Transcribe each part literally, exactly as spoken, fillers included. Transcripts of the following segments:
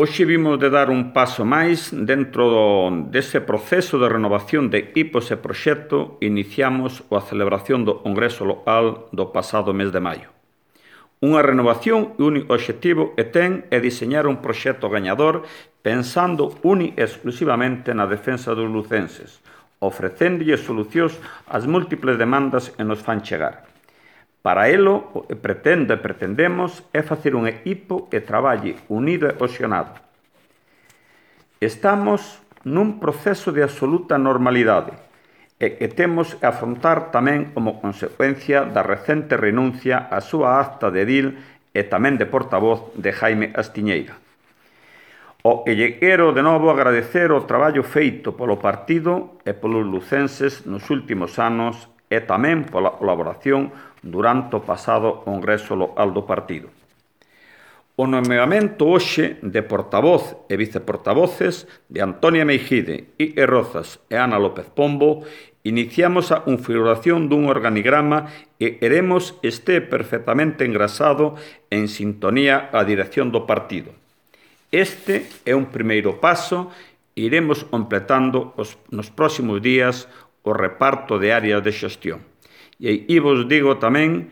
Hoxe vimos de dar un paso máis dentro do, dese proceso de renovación de equipos e proxecto. Iniciamos a celebración do Congreso Local do pasado mes de maio. Unha renovación e un obxectivo que ten é diseñar un proxecto gañador pensando uni exclusivamente na defensa dos lucenses, ofrecéndolle solucións ás múltiples demandas que nos fan chegar. Para elo, o que pretendo e pretendemos é facer un equipo que traballe unido e cohesionado. Estamos nun proceso de absoluta normalidade e que temos que afrontar tamén como consecuencia da recente renuncia á súa acta de edil e tamén de portavoz de Jaime Astiñeira. O que lle quero de novo agradecer o traballo feito polo partido e polos lucenses nos últimos anos e tamén pola colaboración durante o pasado Congreso Local do partido. O nomeamento hoxe de portavoz e viceportavoces de Antonia Meijide, Quique Rozas e Ana López Pombo iniciamos a configuración dun organigrama que queremos este perfectamente engrasado en sintonía á dirección do partido. Este é un primeiro paso e iremos completando os, nos próximos días o reparto de áreas de xestión. E aí vos digo tamén,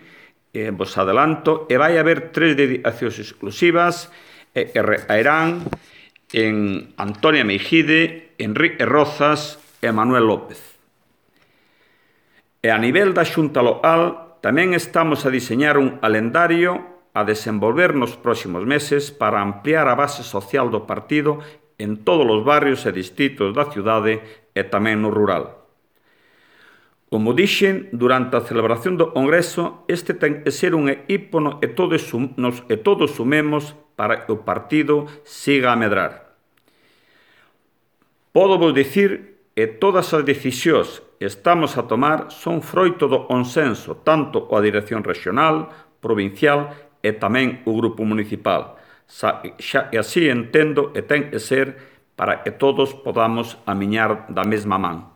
eh, vos adelanto, e vai haber tres dedicacións exclusivas eh, que recaerán en Antonia Meijide, Enrique Rozas e Manuel López. E a nivel da Xunta Local tamén estamos a diseñar un calendario a desenvolver nos próximos meses para ampliar a base social do partido en todos os barrios e distritos da cidade e tamén no rural. Como dixen, durante a celebración do Congreso, este ten que ser un equipo no que todos, nos, que todos sumemos para que o partido siga a medrar. Podo vos dicir que todas as decisións que estamos a tomar son froito do consenso, tanto coa dirección regional, provincial e tamén o grupo municipal. Xa, xa que así entendo que ten que ser para que todos podamos amiñar da mesma man.